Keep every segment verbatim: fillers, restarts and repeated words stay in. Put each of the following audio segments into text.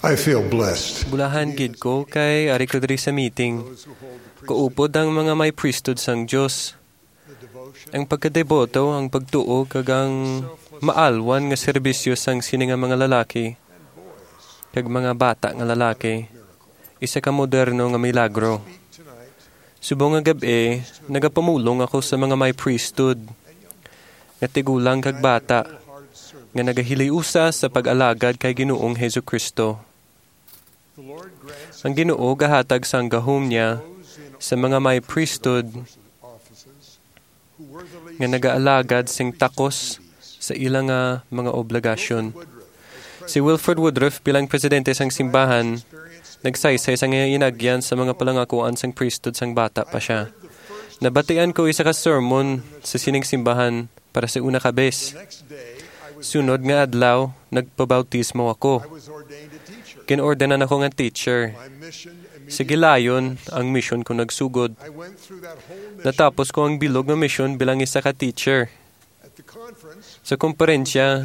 I feel blessed. Bulahan gid ko kay ari ko diri sa meeting. Kaupod ang mga may priesthood sang Dios. Ang pagkadeboto, ang pagtuo, kag ang maalwan nga serbisyo sang sini nga mga lalaki kag mga bata nga lalaki, isa ka moderno nga milagro. Subong nga gab-i, nagapamulong ako sa mga may priesthood, nga tigulang kag bata, nga nagahiliusa sa pag-alagad kay Ginoong Jesu-Cristo. Ang Ginoo gahatag sang gahom niya sa mga may priesthood nga nagaalagad sing takos sa ila nga mga obligasyon. Si Wilford Woodruff, bilang presidente sang simbahan, nagsaysay sang iya inagyan sa mga palangakuan sang priesthood sang bata pa sia. Nabatian ko isa ka sermon sa sining simbahan para sa una ka bes. Sunod nga adlaw, nagpabautismo ako. Ginordinan ako nga teacher. Sa gilayon, ang misyon ko nagsugod. Natapos ko ang bilog nga misyon bilang isa ka teacher. Sa komperensya,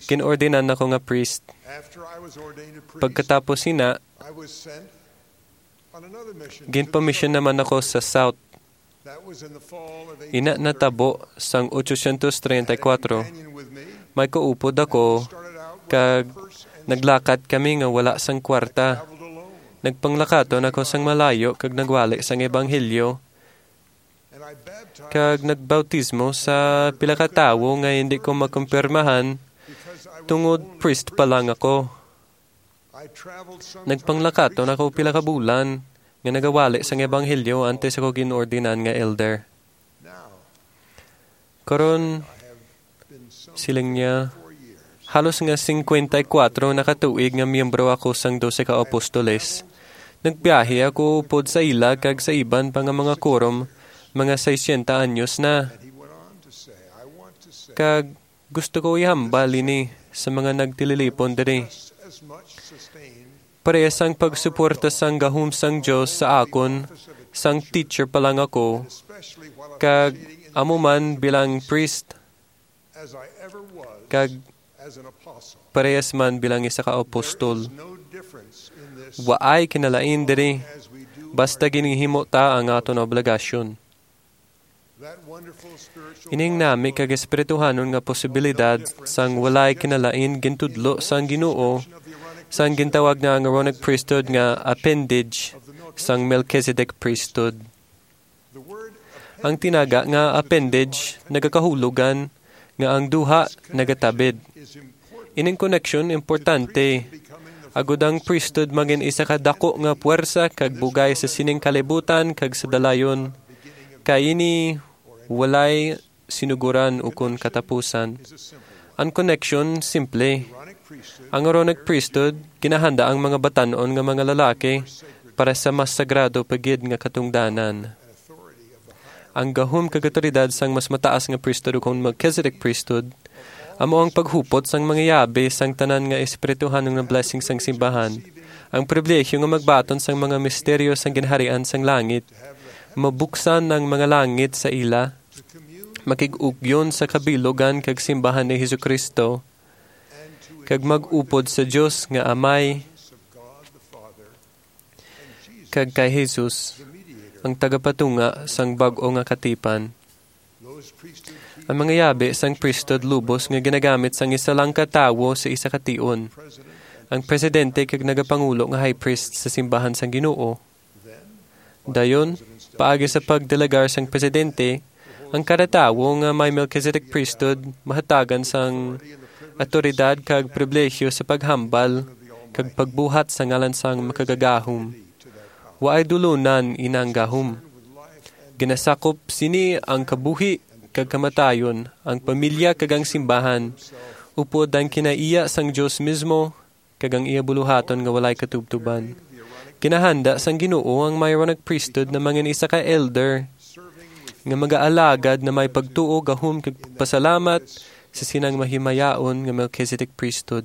ginordinan ako nga priest. Pagkatapos sina, ginpamisyon naman ako sa South. Ina natabo sang otsosyentos treinta y kuatro. May kaupod ako, kag naglakat kami nga wala sang kwarta. Nagpanglakaton ako sang malayo kag nagwali sang ebanghelyo, kag nagbautismo sa pila ka tawo nga hindi ko makumpirmahan tungod priest pa lang ako. Nagpanglakaton ako pila ka bulan nga nagawali sang ebanghelyo antes ako ginordinan nga elder. Karon, siling niya, halos nga singkwenta y kuatro na ka tuig nga miyembro ako sang Dose ka Apostoles. Nagbiyahe ako upod sa ila kag sa iban pa nga mga quorum, mga sesenta anyos na. Kag gusto ko ihambal ini sa mga nagtililipon diri. Parehas ang pagsuporta sang gahom sang Dios sa akon, sang teacher pa lang ako, kag amo man bilang priest, kag parehas man bilang isa ka apostol. Waay kinalain diri, basta ginhimo ta ang aton obligasyon. Ining nami kag espirituhanon nga posibilidad sang walay kinalain gintudlo sang Ginoo sang gintawag nga ang Aaronic Priesthood nga appendage sang Melchizedek Priesthood. Ang tinaga nga appendage nagakahulogan nga ang duha nagatabid. Ining koneksyon importante, agod ang priesthood magin isa ka dako nga puwersa kag bugay sa sining kalibutan kag sa dalayon, kay ini walay sinugoran ukon katapusan. Ang koneksyon simple. Ang Aaronic Priesthood ginahanda ang mga batan-on nga mga lalaki para sa mas sagrado pa gid nga katungdanan. Ang gahom kag awtoridad sang mas mataas nga priesthood, ukon Melchizedek Priesthood, amo ang paghupot sang mga yabi sang tanan nga espirituhanon nga blessing sang simbahan. Ang pribilehiyo nga magbaton sang mga misteryo sang ginharian sang langit, mabuksan ang mga langit sa ila, makig-ugyon sa kabilugan kag simbahan ni Jesu-Cristo, kag mag-upod sa Dios nga Amay, kag kay Jesus, ang tagapatunga sang bag-o nga katipan. Ang mga yabi sang priesthood lubos nga ginagamit sang isa lang ka tawo sa isa ka tion, ang presidente kag nagapangulo nga high priest sa simbahan sang Ginoo. Dayon, paagi sa pagdelegar sang presidente, ang kada tawo nga may Melchizedek Priesthood mahatagan sang awtoridad kag pribilehiyo sa paghambal kag pagbuhat sa ngalan sang Makagagahom. Waay dulunan inang gahom. Ginasakop sini ang kabuhi kag kamatayon, ang pamilya kag ang simbahan, upod ang kinaiya sang Dios mismo kag ang iya buluhaton nga walay katubtuban. Ginahanda sang Ginoo ang Aaronic Priesthood na mangin isa ka elder nga magaalagad na may pagtuo, gahom, kag pagpasalamat sa sinang mahimayaon nga Melchizedek Priesthood.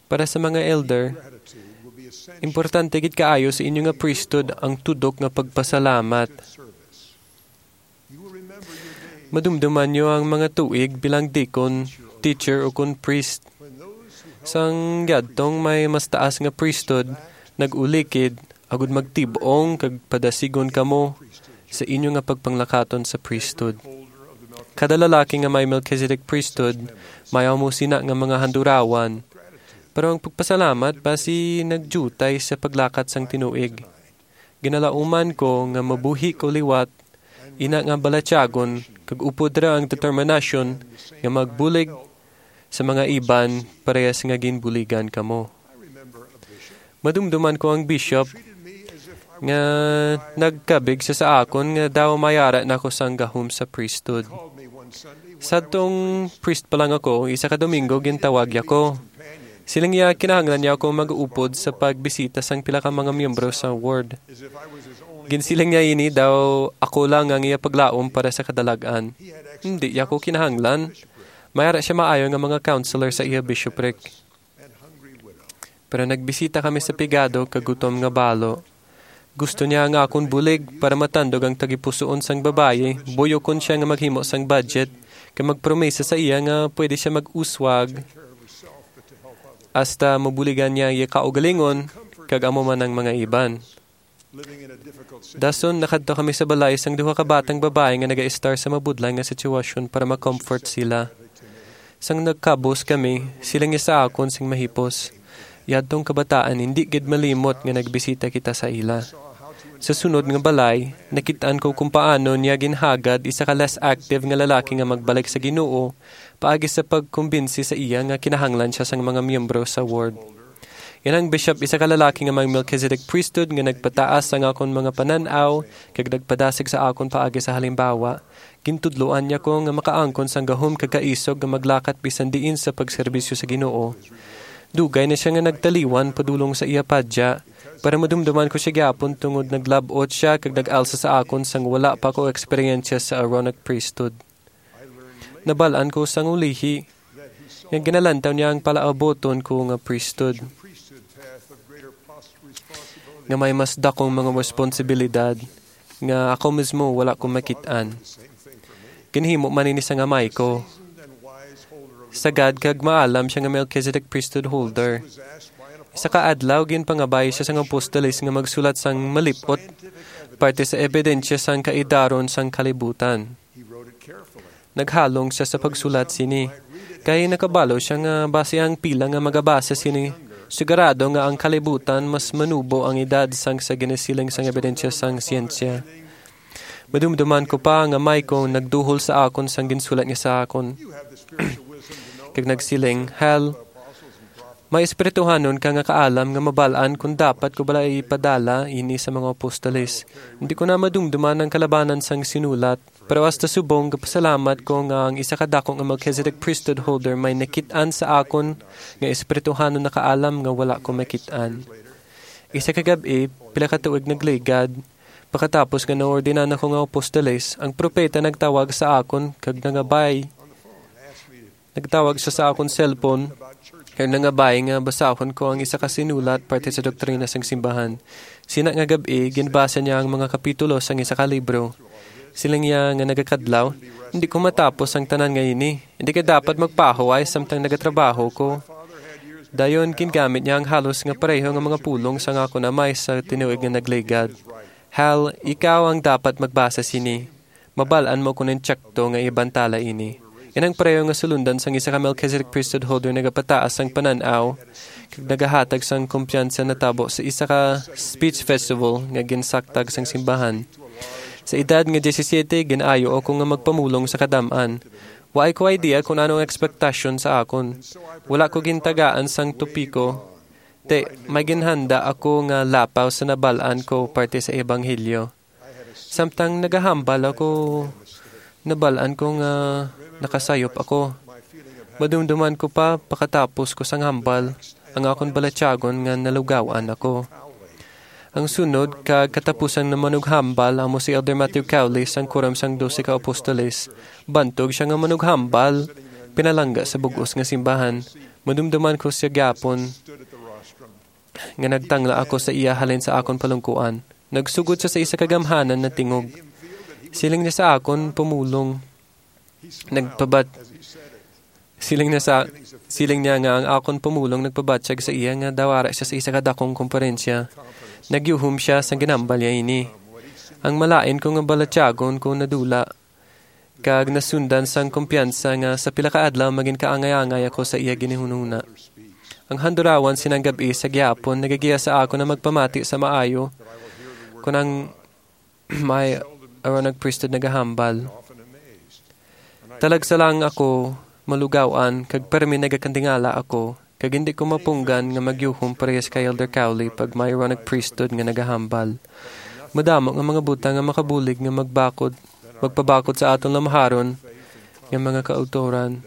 Para sa mga elder, importante gid kaayo sa inyo nga priesthood ang tudok nga pagpasalamat. Madumduman niyo ang mga tuig bilang deacon, teacher, ukon priest. Sang yadtong may mas taas nga priesthood nag-ulikid, agud magtib-ong kag padasigon kamo sa inyo nga pagpanglakaton sa priesthood. Kada lalaki nga may Melchizedek priesthood, may amo sina nga mga handurawan. Pero ang pagpasalamat basi nagdiutay sa paglakat sang tinuig. Ginalauman ko nga mabuhi ko liwat, ina nga balatyagon, kag upod ra ang determinasyon nga magbulig sa mga iban parehas nga ginbuligan kamo. Madumduman ko ang bishop nga nagkabig sa, sa akon nga daw mayara na ko sang gahom sa priesthood. Sadtong priest pa lang ako, isa ka Domingo gintawag niya ko. Siling niya, kinahanglan niya ako mag-upod sa pagbisita sang pila ka mga miyembro sa ward. Ginsiling niya ini daw ako lang ang iya paglaom para sa kadalag-an. Hindi niya ako kinahanglan. Mayara siya maayo nga mga counselor sa iya bishopric. Pero nagbisita kami sa pigado kag gutom nga balo. Gusto niya nga akon bulig para matandog ang tagipusoon sang babayi, buyokon siya nga maghimo sang budget, kag magpromesa sa iya nga pwede siya mag-uswag hasta mabuligan niya iya kaugalingon kag amo man ang mga iban. Dason nakadto kami sa balay sang duha ka batang babayi nga nagaistar sa mabudlay nga sitwasyon para ma-comfort sila. Sang nagkabos kami, siling niya sa akon sing mahipos, "Yadtong kabataan, hindi gid malimot nga nagbisita kita sa ila." Sa sunod nga balay, nakit-an ko kung paano niya ginhagad isa ka less active nga lalaki nga magbalik sa Ginoo paagi sa pagkumbinsi sa iya nga kinahanglan siya sang mga miyembro sa ward. Inang bishop, isa ka lalaki nga may Melchizedek priesthood nga nagpataas sang akon mga panan-aw kag nagpadasig sa akon paagi sa halimbawa. Gintudloan niya ko nga makaangkon sang gahom kag kaisog nga maglakat bisan diin sa pagserbisyo sa Ginoo. Dugay na sia nga nagtaliwan padulong sa iya padya, pero madumduman ko sia gyapon tungod naglab-ot sia kag nag-alsa sa akon sang wala pa ko eksperyensya sa Aaronic priesthood. Nabal-an ko sang ulihi nga ginalantaw niya ang palaabuton ko nga priesthood, nga may mas dakong mga responsibilidad nga ako mismo wala ko makit-an. Ginhimo man ini sang amay ko. Sagad kag maalam sia nga Melchizedek priesthood holder. Isa ka adlaw, ginpangabay siya sang apostoles nga magsulat sang malip-ot parte sa ebidensya sang kaidaron sang kalibutan. Naghalong sia sa pagsulat sini, kay nakabalo sia nga basi ang pila nga magabasa sini, sigurado nga ang kalibutan mas manubo ang edad sang sa ginasiling sang ebidensya sang siyensya. Madumduman ko pa nga may ko nagduhol sa akon sang ginsulat niya sa akon. Kag nagsiling, "Hal, may espirituhanon ka nga kaalam nga mabal-an kon dapat ko bala ipadala ini sa mga apostoles. Hindi ko na madumduman ang kalabanan sang sinulat, pero hasta subong gapasalamat ko nga ang isa ka dako nga Melchizedek priesthood holder may nakit-an sa akon nga espirituhanon na kaalam nga wala ko makit-an." Isa ka gab-i, pila ka tuig nagligad, pagkatapos nga naordinan ako nga apostoles, ang propeta nagtawag sa akon kag nangabay. Nagtawag siya sa akon cellphone kag nangabay nga basahon ko ang isa ka sinulat parte sa doktrina sang simbahan. Sina nga gab-i, ginbasa niya ang mga kapitulo sang isa ka libro. Siling niya nga nagakadlaw, "Hindi ko matapos ang tanan nga ini. Hindi ka dapat magpahuway samtang nagatrabaho ko." Dayon, gingamit niya ang halos nga pareho nga mga pulong sang akon amay sa tinuig nga nagligad. "Hal, ikaw ang dapat magbasa sini. Mabal-an mo kon insakto nga ibantala ini." Inang pareho nga sulundan sang isa ka Melchizedek priesthood holder nagapataas sang panan-aw kag nagahatag sang kumpiyansa natabo sa isa ka speech festival nga ginsaktag sang simbahan. Sa edad nga disisiete, gin-ayo ako nga magpamulong sa kadam-an. Waay ko idea kon ano ang ekspektasyon sa akon. Wala ko gintagaan sang topiko. Ti, may ginhanda ako nga lapaw sa nabal-an ko parte sa ebanghelyo. Samtang nagahambal ako, nabal-an ko nga nakasayop ako. Madumduman ko pa, pakatapos ko sang hambal, ang akon balatyagon nga nalugawan ako. Ang sunod kag katapusang namanughambal amo si Elder Matthew Cowley sang Quorum sang Dose ka Apostoles. Bantog sia nga manughambal, pinalangga sa bug-os nga simbahan. Madumduman ko sia gyapon nga nagtangla ako sa iya halin sa akon palungkuan. Nagsugod sia sa isa ka gamhanan na tingog. Siling niya sa akon, "Pumulong." Nagpabat-, Siling na sa siling niya nga ang akon pumulong nagpabatyag sa iya nga daw ara siya sa isa ka dakong komperensya. Nagyuhom siya sang ginhambal niya ini. Ang malain ko nga balatyagon ko nadula, kag nasundan sang kumpiyansa nga sa pila ka adlaw magin kaangay-angay ako sa iya ginhunahuna. Ang handurawan sining gab-i sa gihapon nagagiya sa akon na magpamati sa maayo kon ang may Aaronic Priesthood nagahambal. Talagsa lang ako malugawan, kag permi nagakandingala ako, kag hindi ko mapunggan nga magyuhom parehas kay Elder Cowley pag may Aaronic Priesthood nga nagahambal. Madamo nga mga butang nga makabulig nga magbakod, magpabakod sa aton lamharon nga mga kautoran.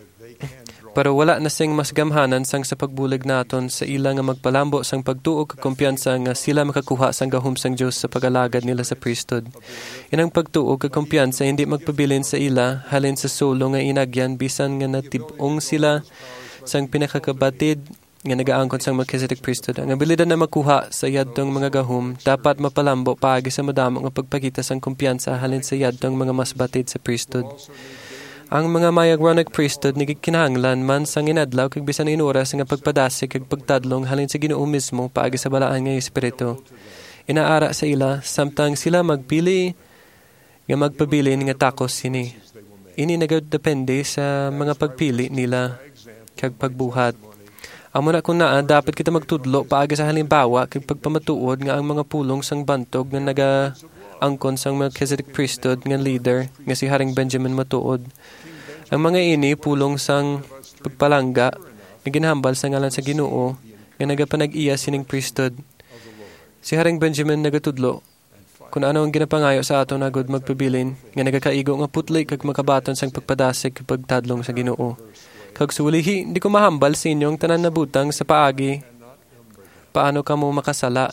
Pero wala na sing mas gamhanan sang sa pagbulig naton sa ila nga magpalambo sang pagtuo kag kumpiyansa nga sila makakuha sang gahom sang Dios sa pag-alagad nila sa priesthood. Inang pagtuo kag kumpiyansa hindi magpabilin sa ila halin sa sulo nga inagyan, bisan nga natib-ong sila sang pinakakabatid nga nagaangkon sang Melchizedek Priesthood. Ang abilidad na makuha sa yadtong mga gahom dapat mapalambo paagi sa madamo nga pagpakita sang kumpiyansa halin sa yadtong mga mas batid sa priesthood. Ang mga may Aaronic Priesthood nagkinahanglan man sang inadlaw kag bisan in oras nga pagpadasig kag pagtadlong halin sa Ginoo mismo paagi sa balaan nga Espiritu. Inaara sa ila samtang sila magpili nga magpabilin nga takos sini. Ini nagadepende sa mga pagpili nila kag pagbuhat. Amo na kon naa, dapat kita magtudlo paagi sa halimbawa kag pagpamatuod nga ang mga pulong sang bantog nga nagaangkon sang Melchizedek Priesthood nga leader nga si Haring Benjamin matuod. Ang mga ini pulong sang pagpalangga nga ginhambal sa ngalan sa Ginoo nga nagapanag-iya sining priesthood. Si Haring Benjamin nagatudlo kon ano ang ginapangayo sa aton agud magpabilin nga nagakaigo nga putli kag makabaton sang pagpadasig kag pagtadlong sa Ginoo. Kag sulihi, hindi ko mahambal sa inyo ang tanan na butang sa paagi paano kamo makasala,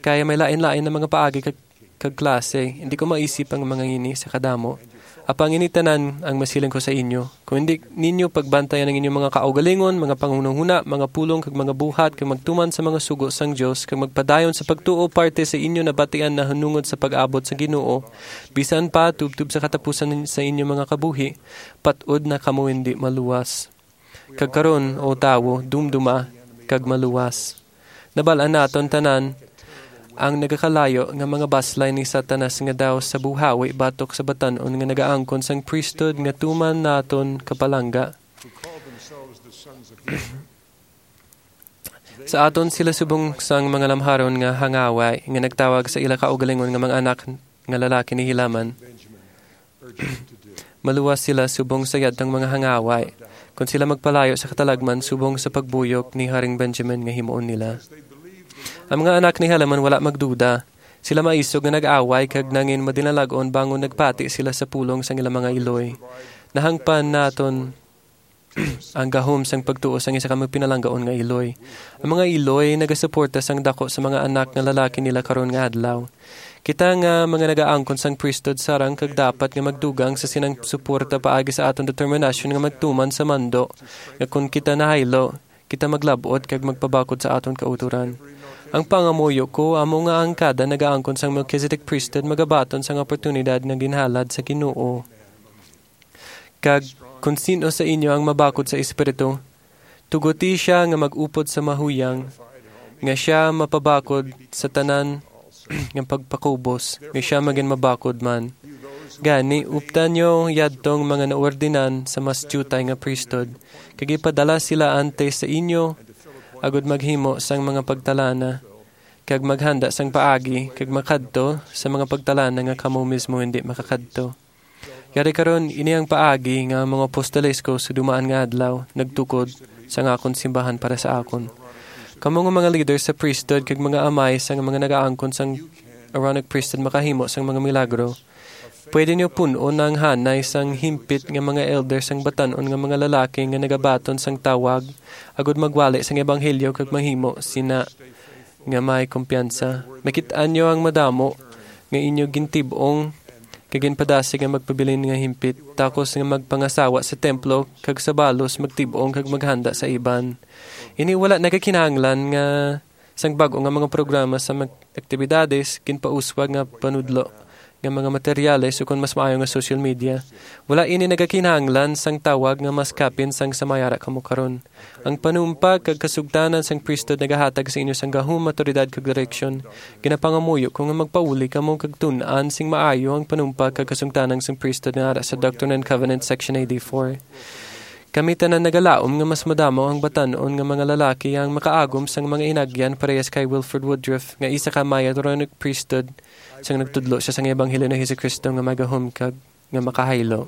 kaya may lain-lain na mga paagi kag, kag klase. Hindi ko maisip ang mga ini sa kadamo. Apang ini tanan ang masiling ko sa inyo. Kung hindi ninyo pagbantayan ang inyong mga kaugalingon, mga panghunahuna, mga pulong, kag mga buhat, kag magtuman sa mga sugo sang Dios, kag magpadayon sa pagtuo parte sa inyo nabatian nahanungod sa pag-abot sa Ginoo, bisan pa tubtob sa katapusan sa inyo mga kabuhi, pat-od na kamo hindi maluwas. Kag karon, O tawo, dumduma kag maluwas. Nabal-an naton tanan ang nagakalayo nga mga baslay ni Satanas nga daw sa buhawi batok sa batan-on nga nagaangkon sang priesthood nga tuman naton kapalangga. Sa aton sila subong sang mga lamharon nga hangaway nga nagtawag sa ila kaugalingon nga mga anak nga lalaki ni Helaman. Maluwas sila subong sa yadtang mga hangaway kon sila magpalayo sa katalagman subong sa pagbuyok ni Haring Benjamin nga himuon nila. Ang mga anak ni Helaman wala magduda. Sila maisog nga nag-away kag nangin madinalag-on bangon nagpati sila sa pulong sang ilang mga iloy. Nahangpan naton ang gahom sang pagtuo sang isa ka magpinalanggaon nga iloy. Ang mga iloy nagasuporta sang dako sa mga anak nga lalaki nila karon nga adlaw. Kita nga mga nagaangkon sang priesthood sarang kag dapat nga magdugang sa sinang suporta paagi sa aton determinasyon nga magtuman sa mando, nga kon kita nahaylo, kita maglab-ot kag magpabakod sa aton kautoran. Ang pangamuyo ko amo nga ang kada nagaangkon sang Melchizedek Priesthood magabaton sang oportunidad nga ginhalad sa Ginoo. Kag kon sin-o sa inyo ang mabakod sa Espiritu, tuguti sia nga mag-upod sa mahuyang, nga sia mapabakod sa tanan nga pagpakubos, nga sia magin mabakod man. Gani, uptan niyo yadtong mga naordinan sa mas diutay nga priesthood, kag ipadala sila antes sa inyo, agud maghimo sang mga pagtalana, kag maghanda sang paagi, kag makadto sa mga pagtalana nga kamo mismo hindi makakadto. Yari karon, ini ang paagi nga ang mga apostoles ko sa dumaan nga adlaw nagtukod sang akon simbahan para sa akon. Kamo nga mga leader sa priesthood kag mga amay sang mga nagaangkon sang Aaronic priesthood makahimo sang mga milagro. Pwede niyo pun-on ang hanay sang himpit nga mga elder sang batan-on nga mga lalaki nga nagabaton sang tawag, agud magwali sang ebanghelyo kag mahimo sina nga may kumpiyansa. Makit-an niyo ang madamo nga inyo gintib-ong kag ginpadasig nga magpabilin nga himpit, takos nga magpangasawa sa templo, kag sa balos magtib-ong kag maghanda sa iban. Ini wala nagakinahanglan nga sang bag-o nga mga programa sa mag-, aktibidades, ginpauswag nga panudlo, nga mga materyales, ukon mas maayo nga social media. Wala ini nagakinahanglan sang tawag nga mas kapin sang sa may ara kamo karon. Ang panumpa kag kasugtanan sang priesthood nagahatag sa inyo sang gahom, maturidad, kag direksyon. Ginapangamuyo ko nga magpauli kamo kag tun-an sing maayo ang panumpa kag kasugtanan sang priesthood nga ara sa Doctrine and Covenants, Section eighty-four. Kami tanan nagalaom nga mas madamo ang batan-on nga mga lalaki ang makaagom sang mga inagyan parehas kay Wilford Woodruff, nga isa ka Mayoronic priesthood, sang nagtudlo siya sang ebanghelyo ni Jesu-Cristo nga may gahom kag nga makahaylo.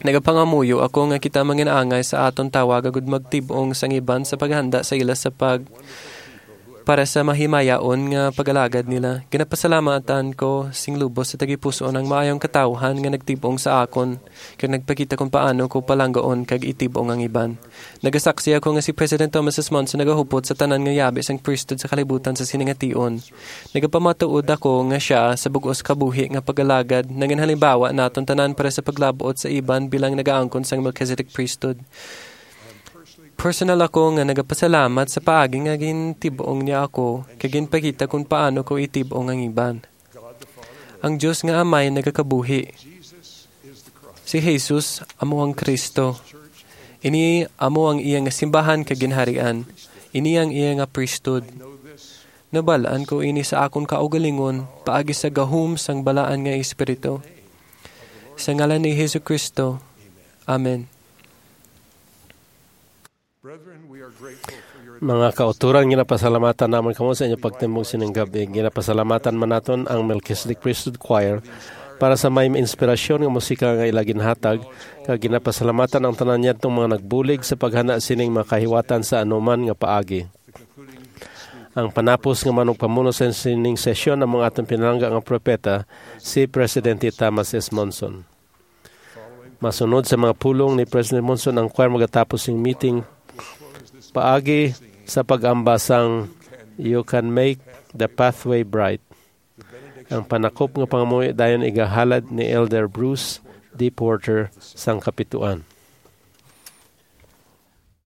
Nagapangamuyo ako nga kita mangin-angay sa aton tawag agud magtib-ong sang iban sa paghanda sa ila sa pag-, para sa mahimayaon nga pag-alagad nila. Ginapasalamatan ko sing lubos sa tagipusoon ang maayong katawhan nga nagtib-ong sa akon kag nagpakita kung paano ko palanggaon kag itib-ong ang iban. Nagasaksi ako nga si President Thomas S. Monson nagahupot sa tanan nga yabi sang priesthood sa kalibutan sa sini nga tion. Nagapamatuod ako nga sia sa bug-os kabuhi nga pag-alagad nagin halimbawa naton tanan para sa paglab-ot sa iban bilang nagaangkon sang Melchizedek Priesthood. Personal ako nga nagapasalamat sa paagi nga gintib-ong niya ako kag ginpakita kung paano ko itib-ong ang iban. Ang Dios nga Amay nagakabuhi. Si Jesus amo ang Kristo. Ini amo ang iya nga simbahan kag ginharian. Ini ang iya nga priesthood. Nabal-an ko ini sa akon kaugalingon paagi sa gahom sang Balaan nga Espiritu. Sa ngalan ni Jesu-Cristo. Amen. Mga kauturan, ginapasalamatan namon kamo sa inyo pagtindog sining gab-i. Ginapasalamatan man naton ang Melchizedek Priesthood Choir para sa may inspirasyon nga musika nga ila ginhatag, kag ginapasalamatan ang tanan niadtong mga nagbulig sa paghana sining mga kahiwatan sa anuman nga paagi. Ang panapos nga manugpamuno sa sining sesyon amo ang aton pinalangga nga propeta, si Presidente Thomas S. Monson. Masunod sa mga pulong ni President Monson, ang choir magatapos sing meeting paagi sa pag-amba sang "You Can Make the Pathway Bright." Ang panakop nga pangamuyo dayon igahalad ni Elder Bruce D. Porter sang Kapituan.